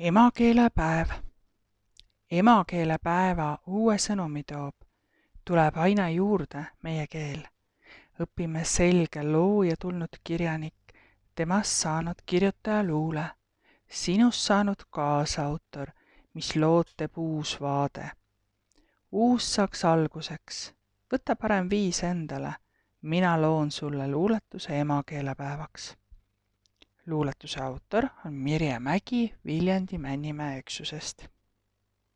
Emakeelepäev. Emakeelepäeva uue sõnumi toob. Tuleb aina juurde meie keel. Õpime selge looja tulnud kirjanik, temast saanud kirjutaja luule, sinust saanud kaasautor, mis lood teeb uus vaade. Uus saaks alguseks. Võta parem viis endale. Mina loon sulle luuletuse emakeelepäevaks. Luuletuse autor on Mirje Mägi Viljandi Männimäe üksusest.